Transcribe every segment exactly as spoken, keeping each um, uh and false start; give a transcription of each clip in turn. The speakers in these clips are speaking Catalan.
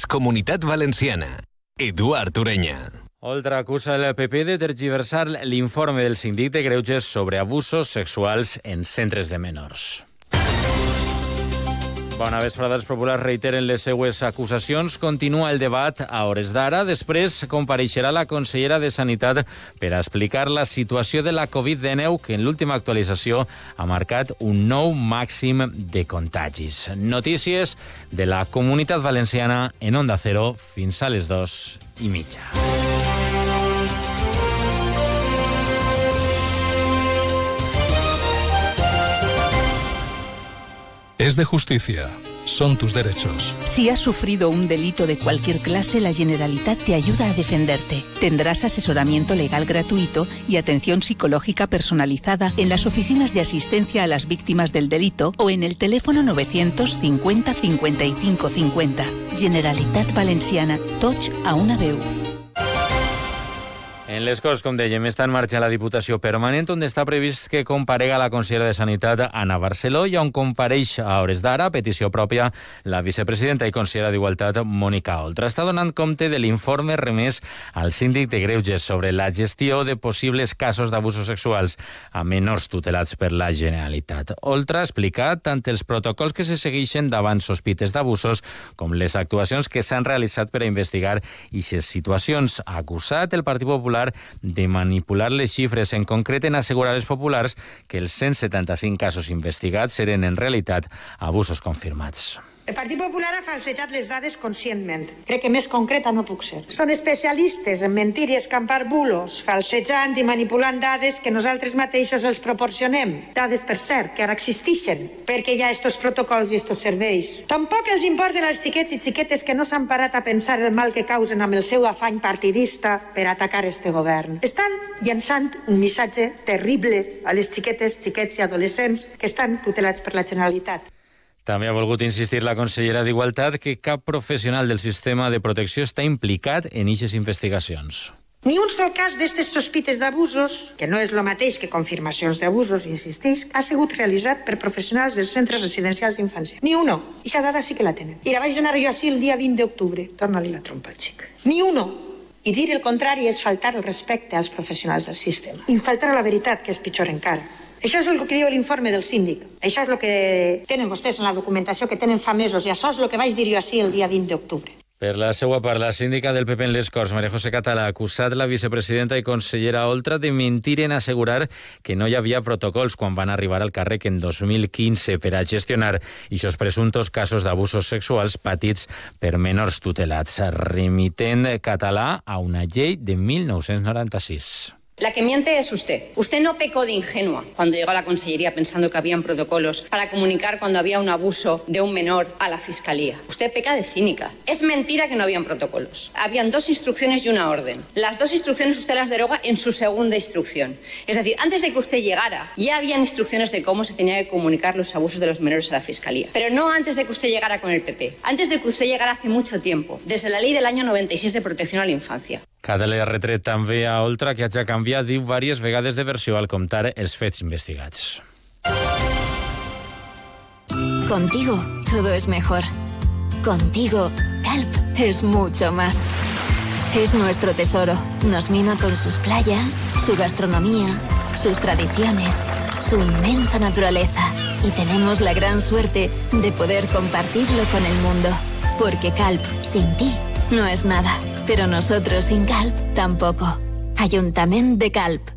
Comunitat Valenciana. Eduard Ureña. Oltra acusa el P P de tergiversar l'informe del síndic de Greuges sobre abusos sexuals en centres de menors. Bona vesprada. Els populars reiteren les seues acusacions. Continua el debat a hores d'ara. Després compareixerà la consellera de Sanitat per a explicar la situació de la covid dinou, que en l'última actualització ha marcat un nou màxim de contagis. Notícies de la Comunitat Valenciana en Onda Cero fins a les dos i mitja. Es de justicia. Son tus derechos. Si has sufrido un delito de cualquier clase, la Generalitat te ayuda a defenderte. Tendrás asesoramiento legal gratuito y atención psicológica personalizada en las oficinas de asistencia a las víctimas del delito o en el teléfono novecientos cincuenta cincuenta y cinco cincuenta. Generalitat Valenciana. Tots a una veu. En les Corts, com dèiem, està en marxa la Diputació Permanent, on està previst que comparega la consellera de Sanitat, Anna Barceló, i on compareix a hores d'ara, a petició pròpia, la vicepresidenta i consellera d'Igualtat, Mònica Oltra. Està donant compte de l'informe remès al síndic de Greuges sobre la gestió de possibles casos d'abusos sexuals a menors tutelats per la Generalitat. Oltra ha explicat tant els protocols que se segueixen davant sospites d'abusos com les actuacions que s'han realitzat per a investigar aquestes situacions. Ha acusat el Partit Popular de manipular les xifres, en concret en assegurar als populars que els cent setanta-cinc casos investigats eren en realitat abusos confirmats. El Partit Popular ha falsejat les dades conscientment. Crec que més concreta no puc ser. Són especialistes en mentir i escampar bulos, falsejant i manipulant dades que nosaltres mateixos els proporcionem. Dades, per cert, que ara existeixen, perquè hi ha estos protocols i estos serveis. Tampoc els importen als xiquets i xiquetes que no s'han parat a pensar el mal que causen amb el seu afany partidista per atacar este govern. Estan llançant un missatge terrible a les xiquetes, xiquets i adolescents que estan tutelats per la Generalitat. També ha volgut insistir la consellera d'Igualtat que cap professional del sistema de protecció està implicat en aquestes investigacions. Ni un sol cas d'aquestes sospites d'abusos, que no és el mateix que confirmacions d'abusos, insisteix, ha sigut realitzat per professionals dels centres residencials d'infància. Ni uno. I aquesta dada sí que la tenen. I la vaig donar jo així el dia vint d'octubre. Torna-li la trompa al xic. Ni uno. I dir el contrari és faltar el respecte als professionals del sistema. I faltar a la veritat, que és pitjor encara. Això és el que diu l'informe del síndic. Això és el que tenen vostès en la documentació que tenen fa mesos i això és el que vaig dir jo així el dia vint d'octubre. Per la seva part, la síndica del P P en les Corts, Maria José Català, ha acusat la vicepresidenta i consellera Oltra de mentir en assegurar que no hi havia protocols quan van arribar al càrrec en dos mil quinze per a gestionar aquests presumptos casos d'abusos sexuals patits per menors tutelats, remitent Català a una llei de mil nou-cents noranta-sis. La que miente es usted. Usted no pecó de ingenua cuando llegó a la Consellería pensando que habían protocolos para comunicar cuando había un abuso de un menor a la Fiscalía. Usted peca de cínica. Es mentira que no habían protocolos. Habían dos instrucciones y una orden. Las dos instrucciones usted las deroga en su segunda instrucción. Es decir, antes de que usted llegara, ya habían instrucciones de cómo se tenía que comunicar los abusos de los menores a la Fiscalía. Pero no antes de que usted llegara con el P P. Antes de que usted llegara hace mucho tiempo, desde la ley del año noventa y seis de protección a la infancia. Català ha retret també a Oltra que hagi canviat, diu, diverses vegades de versió al contar els fets investigats. Contigo todo es mejor. Contigo, Calp es mucho más. Es nuestro tesoro. Nos mima con sus playas, su gastronomía, sus tradiciones, su inmensa naturaleza. Y tenemos la gran suerte de poder compartirlo con el mundo. Porque Calp, sin ti, no es nada. Pero nosotros sin Calp, tampoco. Ayuntament de Calp.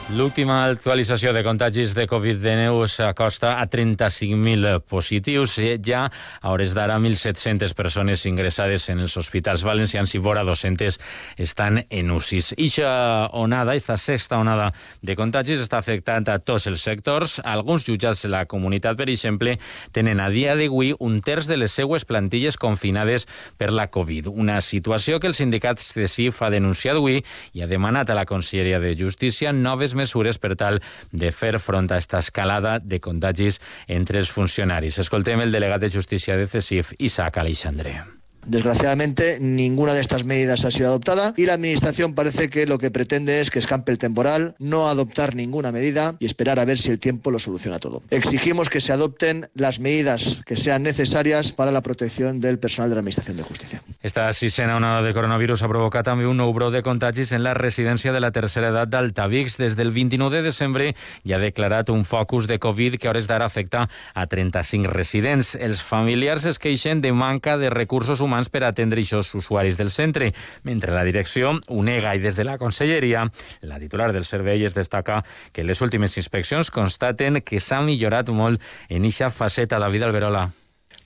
L'última actualització de contagis de covid dinou s'acosta a trenta-cinc mil positius. Ja a hores d'ara, mil set-centes persones ingressades en els hospitals valencians i vora dos-centes estan en U C Is. Ixa onada, esta sexta onada de contagis està afectant a tots els sectors. Alguns jutjats de la comunitat, per exemple, tenen a dia d'avui un terç de les seues plantilles confinades per la Covid. Una situació que el sindicat C E S I F ha denunciat avui i ha demanat a la Conselleria de Justícia noves mesures per tal de fer front a esta escalada de contagis entre els funcionaris. Escoltem el delegat de Justícia de C E S I F, Isaac Aleixandre. Desgraciadamente, ninguna de estas medidas ha sido adoptada y la Administración parece que lo que pretende es que escampe el temporal, no adoptar ninguna medida y esperar a ver si el tiempo lo soluciona todo. Exigimos que se adopten las medidas que sean necesarias para la protección del personal de la Administración de Justícia. Esta sisena onada de coronavirus ha provocat també un nou brot de contagis en la residència de la tercera edat d'Altavix. Des del vint-i-nou de desembre hi ha declarat un focus de Covid que a hores d'ara afecta a trenta-cinc residents. Els familiars es queixen de manca de recursos humans per atendre aquests usuaris del centre, mentre la direcció ho nega i des de la conselleria, la titular del servei es destaca que les últimes inspeccions constaten que s'ha millorat molt en eixa faceta. David Alberola.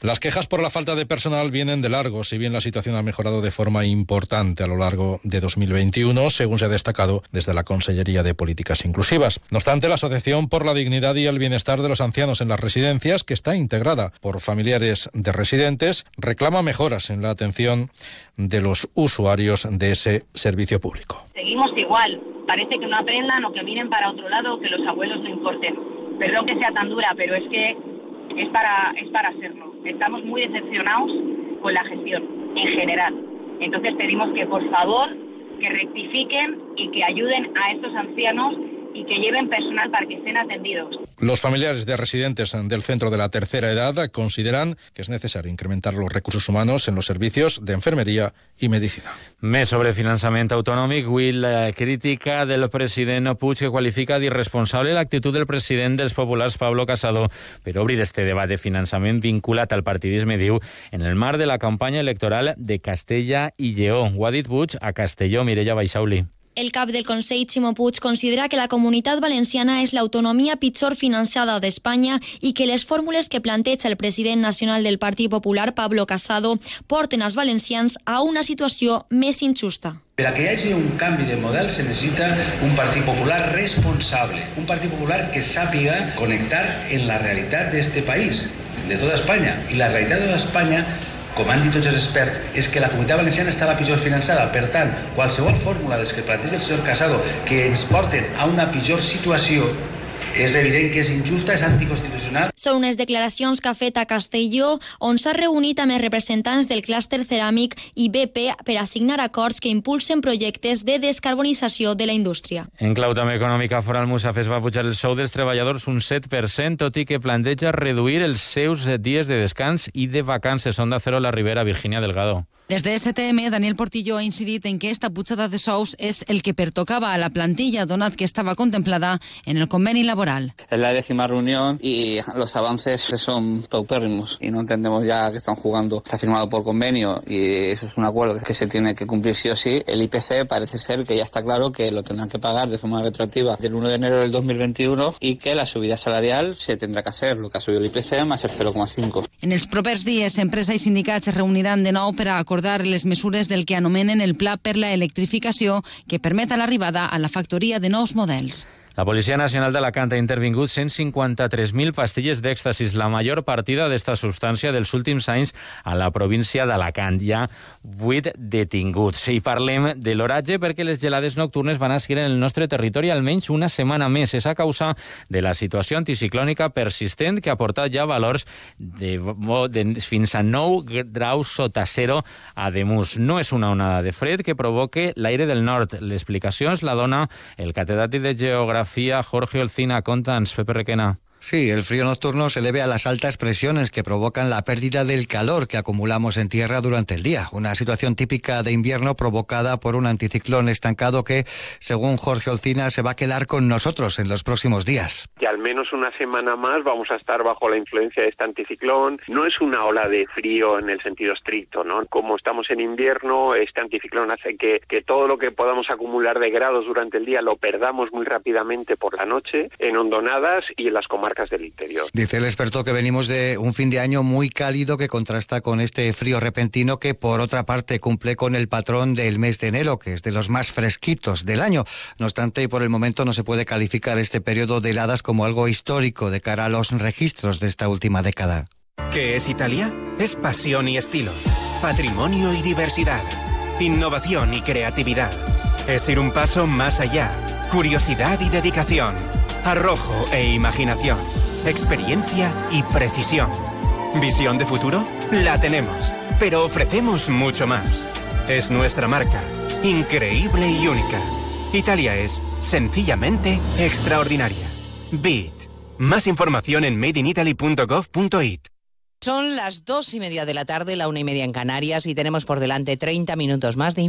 Las quejas por la falta de personal vienen de largo, si bien la situación ha mejorado de forma importante a lo largo de dos mil veintiuno, según se ha destacado desde la Consellería de Políticas Inclusivas. No obstante, la Asociación por la Dignidad y el Bienestar de los Ancianos en las Residencias, que está integrada por familiares de residentes, reclama mejoras en la atención de los usuarios de ese servicio público. Seguimos igual. Parece que no aprendan o que miren para otro lado o que los abuelos no importen. Perdón que sea tan dura, pero es que es para, es para hacerlo. Estamos muy decepcionados con la gestión en general. Entonces pedimos que por favor que rectifiquen y que ayuden a estos ancianos y que lleven personal para que estén atendidos. Los familiares de residentes del centro de la tercera edad consideran que es necesario incrementar los recursos humanos en los servicios de enfermería i medicina. Més sobre finançament autonòmic. Avui la crítica del president Puig, que qualifica d'irresponsable l'actitud del president dels populars, Pablo Casado, per obrir este debat de finançament vinculat al partidisme, diu, en el marc de la campanya electoral de Castella i Lleó. Ho ha dit Puig a Castelló. Mireia Baixauli. El cap del Consell, Ximo Puig, considera que la Comunitat Valenciana és l'autonomia pitjor finançada d'Espanya i que les fórmules que planteja el president nacional del Partit Popular, Pablo Casado, porten els valencians a una situació més injusta. Per a que hi hagi un canvi de model se necessita un Partit Popular responsable, un Partit Popular que sàpiga connectar en la realitat d'este país, de tota Espanya. I la realitat de tota Espanya, com han dit tots els experts, és que la Comunitat Valenciana està la pitjor finançada. Per tant, qualsevol fórmula des que planteja el senyor Casado que ens porten a una pitjor situació és evident que és injusta, és anticonstitucional. Són unes declaracions que ha fet a Castelló, on s'ha reunit amb els representants del clúster ceràmic i B P per a signar acords que impulsen projectes de descarbonització de la indústria. En clau també econòmica, Foral Musafes va pujar el sou dels treballadors un set per cent, tot i que planteja reduir els seus dies de descans i de vacances. Onda Cero, la Ribera, Virginia Delgado. Des de S T M, Daniel Portillo ha incidit en que esta pujada de sous és el que pertocava a la plantilla, donat que estava contemplada en el conveni laboral. Es la décima reunión y los avances son paupérrimos y no entendemos ya que están jugando. Está firmado por convenio y eso es un acuerdo que se tiene que cumplir sí o sí. El I P C parece ser que ya está claro que lo tendrán que pagar de forma retroactiva del uno de enero del dos mil veintiuno y que la subida salarial se tendrá que hacer, lo que ha subido el I P C más el cero coma cinco. En els propers dies, empresa i sindicats es reuniran de nou per a acordar les mesures del que anomenen el Pla per la Electrificació, que permeta l'arribada a la factoria de nous models. La Policia Nacional d'Alacant ha intervingut cent cinquanta-tres mil pastilles d'èxtasis, la major partida d'esta substància dels últims anys a la província d'Alacant. Hi ha vuit detinguts. I parlem de l'oratge perquè les gelades nocturnes van a seguir en el nostre territori almenys una setmana més. És a causa de la situació anticiclònica persistent que ha portat ja valors de, de fins a nou graus sota zero a Ademús. No és una onada de fred que provoque l'aire del nord. L'explicació ens la dona el catedràtic de Geografia Jorge Olcina. Contanos, Pepe Requena. Sí, el frío nocturno se debe a las altas presiones que provocan la pérdida del calor que acumulamos en tierra durante el día. Una situación típica de invierno provocada por un anticiclón estancado que, según Jorge Olcina, se va a quedar con nosotros en los próximos días. Que al menos una semana más vamos a estar bajo la influencia de este anticiclón. No es una ola de frío en el sentido estricto, ¿no? Como estamos en invierno, este anticiclón hace que, que todo lo que podamos acumular de grados durante el día lo perdamos muy rápidamente por la noche en hondonadas y en las comarcas del interior. Dice el experto que venimos de un fin de año muy cálido que contrasta con este frío repentino que, por otra parte, cumple con el patrón del mes de enero, que es de los más fresquitos del año. No obstante, y por el momento no se puede calificar este periodo de heladas como algo histórico de cara a los registros de esta última década. ¿Qué es Italia? Es pasión y estilo, patrimonio y diversidad, innovación y creatividad. Es ir un paso más allá, curiosidad y dedicación, arrojo e imaginación, experiencia y precisión. ¿Visión de futuro? La tenemos, pero ofrecemos mucho más. Es nuestra marca, increíble y única. Italia es, sencillamente, extraordinaria. Beat. Más información en made in italy punto gov punto it. Son las dos y media de la tarde, la una y media en Canarias, y tenemos por delante treinta minutos más de información.